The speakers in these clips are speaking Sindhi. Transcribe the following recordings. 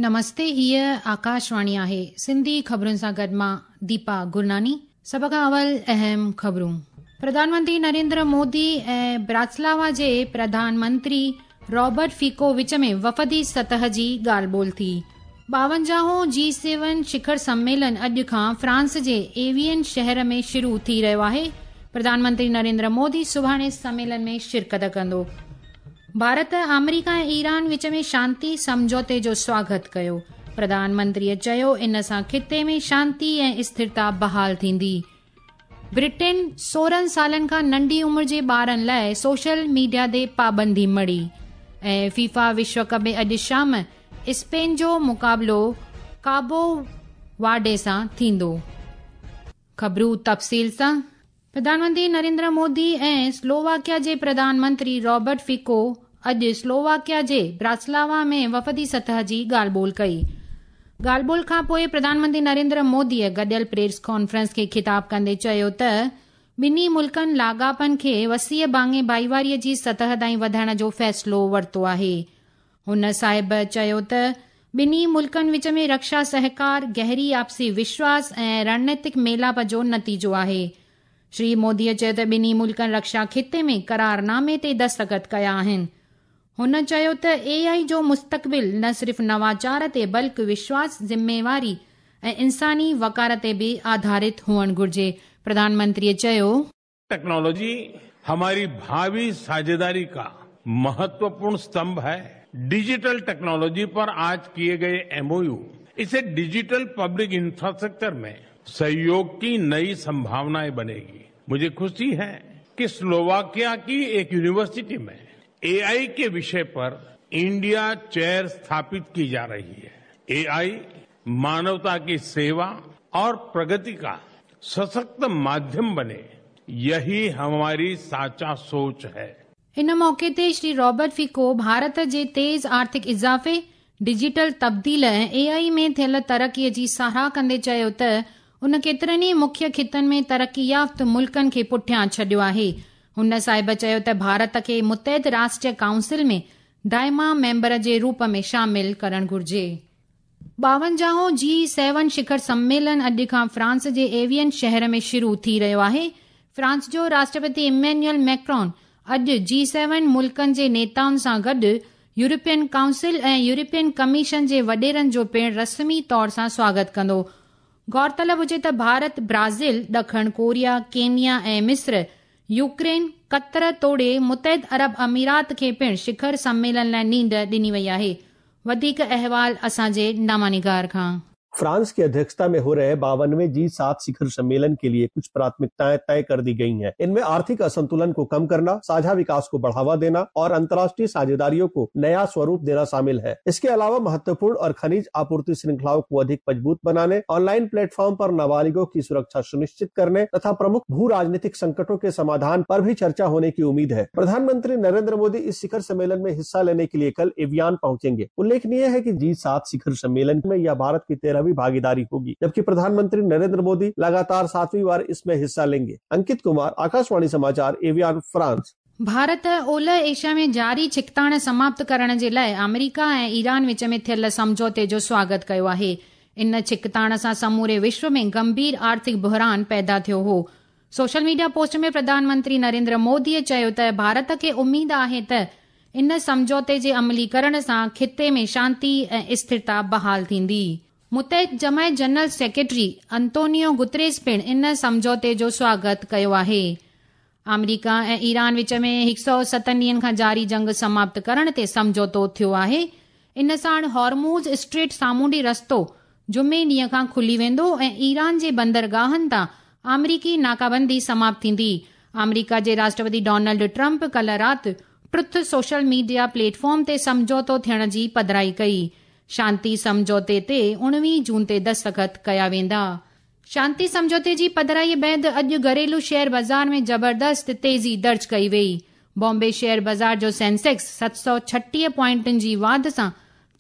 نمستي هيء آڪاشواڻي آهي سنڌي خبرن سان گڏ مان ديپا گرناني سڀ کان اول اهم خبرون پرڌان منتري نريندر مودي ۽ براتسلاوا جي پرڌان منتري رابرٽ فيڪو وچ ۾ وفدي سطح جي ڳالهه ٻولهه ٿي. ٻاونجاهون جي سيون شکر سميلن اڄ کان فرانس جي ايوين شهر ۾ شروع ٿي رهيو آهي. پرڌان منتري نريندر مودي سڀاڻي سميلن ۾ شرڪت ڪندو. ڀارت آمريڪا ۽ ايران وچ ۾ شانتي سمجهوتي جو سواگت ڪيو. پرڌان منتريء چيو ان سان خطي ۾ شانتي ۽ اسٿرتا بحال ٿيندي. برٽين 16 سالن کان ننڍي عمر جي ٻارن لاء سوشل ميڊيا تي پابندي مڙهي ۽ فيفا وشو ڪپ ۾ اڄ شام اسپين جو مقابلو ڪابو وارڊي سان ٿيندو. خبرون تفصيل سان، پرڌان منتري نريندر مودي ۽ سلوواڪيا جي پرڌان منتري رابرٽ فيڪو اڄ سلوواڪيا جي براتسلاوا ۾ وفدي سطح جي ڳالهه ٻولهه ڪئي. ڳالهه ٻولهه کانپوء پرڌان منتري نريندر موديء گڏيل پريس ڪانفرنس کي خطاب ڪندي چيو ته ٻنهي ملڪن لاڳاپن کي وسيع ڀاڱي ڀائيواري جي سطح تائين وڌائڻ جو فيصلو ورتو آهي. هن صاحب چيو ته ٻنهي ملڪن وچ ۾ رڪشا سهڪار گهري آپسي وشواس ۽ رڻنيتڪ ميلاپ جو نتيجو آهي. شري موديء چيو ته ٻنهي ملڪن رڪشا خطي ۾ قرارنامي تي دستخط ڪيا آهن. هن چيو ته اي آء جو مستقبل نه صرف نواچار تي بلڪ وشواس، ذميواري ۽ انساني وقار تي به آڌارت هئڻ گهرجي. پرڌان منتريء چيو. टेक्नोलॉजी हमारी भावी साझेदारी का महत्वपूर्ण स्तंभ है। डिजिटल टेक्नोलॉजी पर आज किए गए एमओयू इसे डिजिटल पब्लिक इंफ्रास्ट्रक्चर में सहयोग की नई संभावनाएं बनेगी। मुझे खुशी है कि स्लोवाकिया की एक यूनिवर्सिटी में एआई के विषय पर इंडिया चेयर स्थापित की जा रही है। एआई मानवता की सेवा और प्रगति का सशक्त माध्यम बने, यही हमारी साचा सोच है। ان موقعي تي شري رابرٽ فيڪو ڀارت جي تيز آرٿڪ اضافي، ڊجيٽل تبديل ۽ اي آء ۾ ٿيل ترقي جي ساراهه ڪندي چيو ته ان ڪيترن ئي مکيه خطن ۾ ترقي يافته ملڪن کي پٺيان ڇڏيو آهي. هن صاحب چيو ته ڀارت کي متحد راشٽر ڪائونسل ۾ دائما ميمبر جي روپ ۾ شامل ڪرڻ گهرجي. ٻاونجاهون جي سيون شکر سميلن اڄ کان فرانس جي ايوين شهر ۾ شروع ٿي رهيو آهي. فرانس جو راشٽرپتي ايمينيول ميڪرون اڄ جي سيون ملڪن جي نيتائن سان گڏ يورپين ڪائونسل ۽ يورپين ڪميشن جي وڏيرن جو پڻ رسمي طور سان سواگت ڪندو. غور طلب هجي ته ڀارت، برازيل، ڏکڻ ڪوريا، ڪينيا ۽ مصر، يوڪرين، قطر توڙي متحد عرب اميرات کي پڻ شکر سميلن لاء نينڍ ڏني وئي آهي. وڌيڪ احوال اسان جي نامه کان. फ्रांस की अध्यक्षता में हो रहे 52वें जी7 शिखर सम्मेलन के लिए कुछ प्राथमिकताएं तय कर दी गई हैं। इनमें आर्थिक असंतुलन को कम करना, साझा विकास को बढ़ावा देना और अंतर्राष्ट्रीय साझेदारियों को नया स्वरूप देना शामिल है। इसके अलावा महत्वपूर्ण और खनिज आपूर्ति श्रृंखलाओं को अधिक मजबूत बनाने, ऑनलाइन प्लेटफॉर्म पर नाबालिगों की सुरक्षा सुनिश्चित करने तथा प्रमुख भू राजनीतिक संकटों के समाधान पर भी चर्चा होने की उम्मीद है। प्रधानमंत्री नरेंद्र मोदी इस शिखर सम्मेलन में हिस्सा लेने के लिए कल एवियान पहुंचेंगे। उल्लेखनीय है कि जी7 शिखर सम्मेलन में यह भारत की 13वीं भागीदारी होगी, जबकि प्रधानमंत्री नरेंद्र मोदी लगातार 7वीं बार इसमें हिस्सा लेंगे। अंकित कुमार, आकाशवाणी समाचार, एवियान, फ्रांस। ڀارت اولهه ايشيا ۾ جاري ڇڪتاڻ سماپت ڪرڻ جي لاء آمريڪا ۽ ايران وچ ۾ ٿيل سمجهوتي جو سواگت ڪيو آهي. ان ڇڪتاڻ سان سموري وشو ۾ گنڀير آرٿڪ بحران پيدا ٿيو هو. Social media post ۾ Pradhan Mantri Narendra موديء چيو ته ڀارت کي اميد آهي ته ان سمجهوتي جي عملي ڪرڻ سان خطي ۾ شانتي ۽ اسٿرتا بحال ٿيندي. متحد جماعت جنرل سيڪريٽري انتونيو گتريس پڻ ان سمجهوتي جو سواگت ڪيو آهي. آمريڪا ۽ ايران وچ ۾ 107 ڏينهن کان جاري جنگ سماپت ڪرڻ تي سمجهوتو ٿيو آهي. ان ساڻ هارموز اسٽريٽ سامونڊي رستو جمعي ڏينهن کان کلي ويندو ۽ ايران جي بندرگاهن تان آمريڪي ناڪابندي سماپت ٿيندي. آمريڪا جي راشٽرپتي ڊونلڊ ٽرمپ ڪلهه رات truth social media plate form تي سمجهوتو ٿيڻ جي پڌرائي ڪئي. شانتي سمجهوتي تي 19 جون تي دستخط ڪيا ويندا. شانتي سمجهوتي جي پڌرائي بعد اڄ گهريلو شيئر بازار ۾ زبردست تيزي درج ڪئي وئي. بامبي شيئر بازار جو سينسيڪس 736 پوائنٽن جي واڌ سان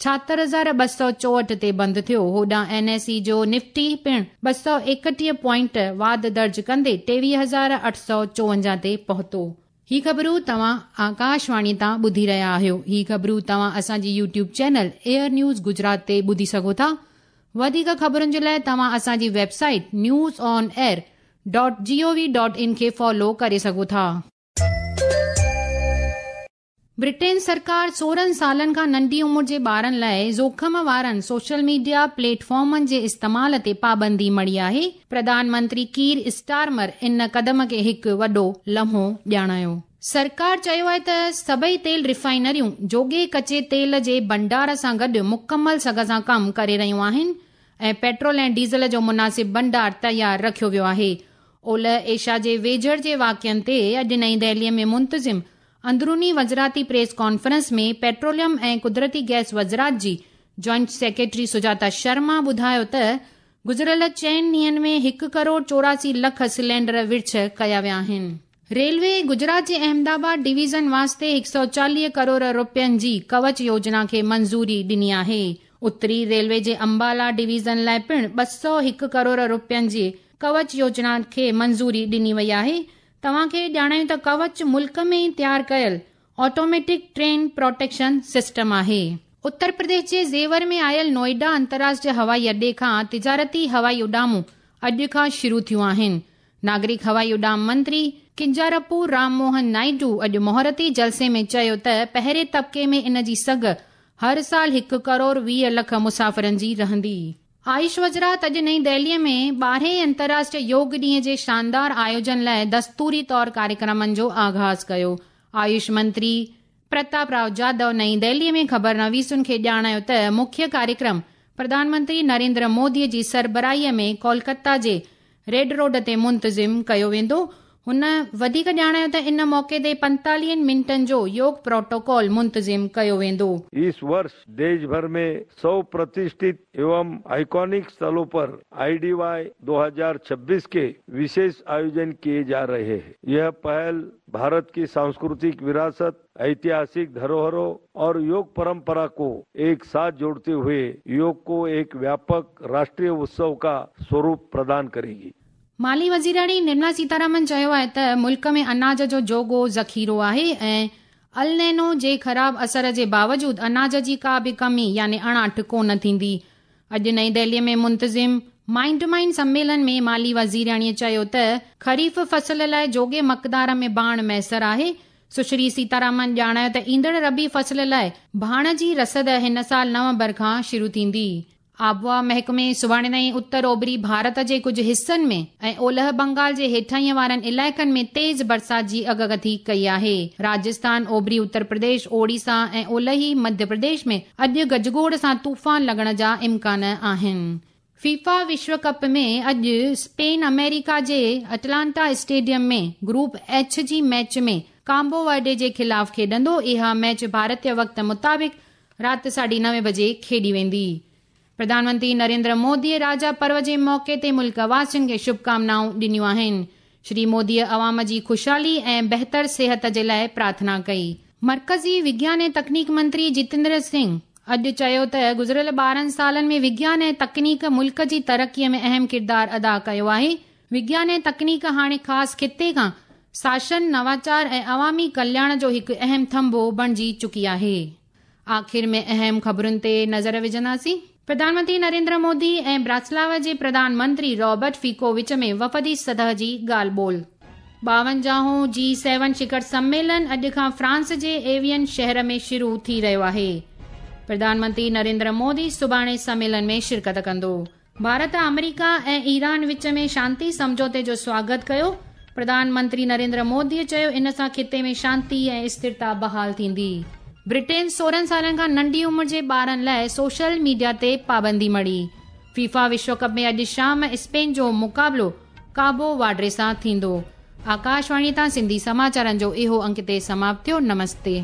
76,264 تي بند ٿيو. هوڏانهن اين ايس اي جو نفٽي پڻ 231 پوائنٽ واڌ درج ڪندي 23,854 تي پهتو. هي خبرون توهان آڪاشواڻي تان ٻڌي رهيا آهيو. هي خبرون توهان اسان جي YouTube channel AIR news Gujarat تي ٻڌي سگهو ٿا. وڌيڪ خبرن جي لاء توهان اسان جي website news on air dot G O V dot in کي فالو ڪري سگهو ٿا. برٽين سرڪار 16 سالن کان ننڍي عمر جي ٻارن لاء جوکم وارن سوشل ميڊيا پليٽ فارمن جي استعمال تي پابندي مڙهي آهي. پرڌان منتري ڪير اسٽارمر ان قدم کي هڪ وڏو لمحو ڄاڻايو. سرڪار چيو آهي ته سڀئي تيل ريفائنريون جوڳي ڪچي تيل جي ڀنڊار سان گڏ مڪمل سگهه سان ڪم ڪري رهيون آهن ۽ پيٽرول ۽ ڊيزل جو مناسب ڀنڊار تيار رکيو ويو آهي. اولهه ايشيا جي ويجهڙ جي واقعن تي اڄ نئين دهلي ۾ منتظم اندروني وزارتي پريس ڪانفرنس ۾ پيٽروليم ۽ قدرتي گئس وزارت جي جوائنٽ سيڪريٽري سجاتا شرما ٻڌايو ته گذريل چئن ڏينهن ۾ هڪ ڪروڙ 84 لک سلينڊر ورڇ ڪيا ويا آهن. ريلوي گجرات جي احمد آباد ڊويزن واسطي 140 ڪروڙ رپين جي ڪوچ يوجنا کي منظوري ڏني آهي. اتري ريلوي جي امبالا ڊويزن لاء پڻ 201 ڪروڙ رپين جي ڪوچ يوجنا کي منظوري ڏني وئي آهي. توهان کي ڄاڻايون ته ڪوچ ملڪ ۾ ئي تيار ڪيل آٽوميٽڪ ٽرين پروٽيڪشن سسٽم آهي. اتر پرديش جي زيور ۾ آيل نوئيڊا انترراشٽريه هوائي اڏي کان تجارتي هوائي اڏامون اڄ کان شروع ٿيون آهن. ناگرڪ هوائي اڏام منتري ڪنجارپو رام موهن نائيڊو اڄ مهورتي جلسي ۾ چيو ته پهرين طبقي ۾ ان جي سگهه هر سال 1 ڪروڙ 20 لک مسافرن جي رهندي. آيوش وزارت اڄ نئين دهلي ۾ 12هين انترراشٽريه يوگ ڏينهن جي شاندار آيوجن لاء دستوري طور ڪاريڪرمن جو آغاز ڪيو. آيوش منتري پرتاپ رائو جادو نئين دهلي ۾ خبرنويسن کي ڄاڻايو ته مکيه ڪاريڪرم پرڌان منتري نريندر مودي جي سربراهي ۾ ڪولڪتا جي ريڊ روڊ تي منتظم ڪيو ويندو. هن وڌيڪ ڄاڻايو ته ان موقعي تي 45 منٽن جو يوگ پروٽوڪول منتظم ڪيو ويندو. اس ورش ديش ڀر ۾ 100 پرتشٺت ايوم آئڪونڪ स्थलों پر IDY 2026 के विशेष आयोजन किए जा रहे हैं। यह पहल भारत की सांस्कृतिक विरासत, ऐतिहासिक धरोहरों और योग परंपरा को एक साथ जोड़ते हुए योग को एक व्यापक राष्ट्रीय उत्सव का स्वरूप प्रदान करेगी। مالي وزيراڻي نرملا سيتارامن چيو آهي ته ملڪ ۾ اناج جو جوڳو ذخيرو آهي ۽ النينو جي خراب اثر جي باوجود اناج جي ڪا به ڪمي يعني اڻاٺ ڪونه ٿيندي. اڄ نئين دهلي ۾ منتظم مائنڊ مائنڊ سميلن ۾ مالي وزيراڻي چيو ته خريف فصل لاء جوڳي مقدار ۾ ڀاڻ ميسر آهي. سشري سيتارامن ڄاڻايو ته ايندڙ ربيع فصل لاء ڀاڻ جي رسد هن سال نومبر کان شروع ٿيندي. آبهوا محڪمي سڀاڻي تائين اتر اوڀري ڀارت جي ڪجهه حصن ۾ ۽ اولهه بنگال جي هيٺاهين وارن علائقن ۾ تيز برسات جي اڳڪٿي ڪئي آهي. راجسٿان، اوڀري اتر پرديش، اوڙيسا ۽ اولهي مڌيه پرديش ۾ اڄ گجگوڙ سان طوفان لڳڻ جا امڪان آهن. فيفا وشو ڪپ ۾ اڄ اسپين آمريڪا جي اٽلانٽا اسٽيڊيم ۾ گروپ ايڇ جي ميچ ۾ ڪامبو ورڊي جي خلاف کيڏندو. اها ميچ ڀارتي وقت مطابق رات 9:30 بجي کيڏي ويندي. پرڌان منتري نريندر مودي راجا پرو جي موقعي تي ملڪ واسين کي شڀڪامنائون ڏنيون آهن. شري مودي عوام جي خوشحالي ۽ بهتر صحت جي لاء پرارٿنا ڪئي. مرڪزي وگيان ۽ تڪنيڪ منتري جتيندر سنگهه اڄ چيو ته گذريل 12 سالن ۾ وگيان ۽ تڪنيڪ ملڪ جي ترقي ۾ اهم ڪردار ادا ڪيو آهي. وگيان ۽ تڪنيڪ هاڻي خاص خطي کان شاسن، نواچار ۽ عوامي ڪلياڻ جو هڪ اهم ٿنڀو بڻجي چڪي آهي. آخر ۾ اهم خبرن تي نظر وجهنداسين. پرڌان منتري نريندر مودي ۽ براتسلاوا جي پرڌان منتري رابرٽ فيڪو وچ ۾ وفدي سطح جي ڳالهه ٻولهه. 52هون جي سيون شکر سميلن اڄ کان فرانس جي ايوين شهر ۾ شروع ٿي رهيو آهي. پرڌان منتري نريندر مودي سڀاڻي سميلن ۾ شرڪت ڪندو. ڀارت آمريڪا ۽ ايران وچ ۾ شانتي سمجهوتي جو سواگت ڪيو. پرڌان منتري نريندر مودي چيو ان سان خطي ۾ شانتي ۽ اسٿرتا بحال ٿيندي. برٽين 16 سالن کان ننڍي عمر جي ٻارن لاء سوشل ميڊيا تي پابندي مڙهي. فيفا وشو ڪپ ۾ اڄ شام اسپين جو مقابلو ڪابو وارڊي سان ٿيندو. آڪاشواڻي تان سنڌي سماچارن جو اهو انڪ تي سماپت ٿيو. نمستي.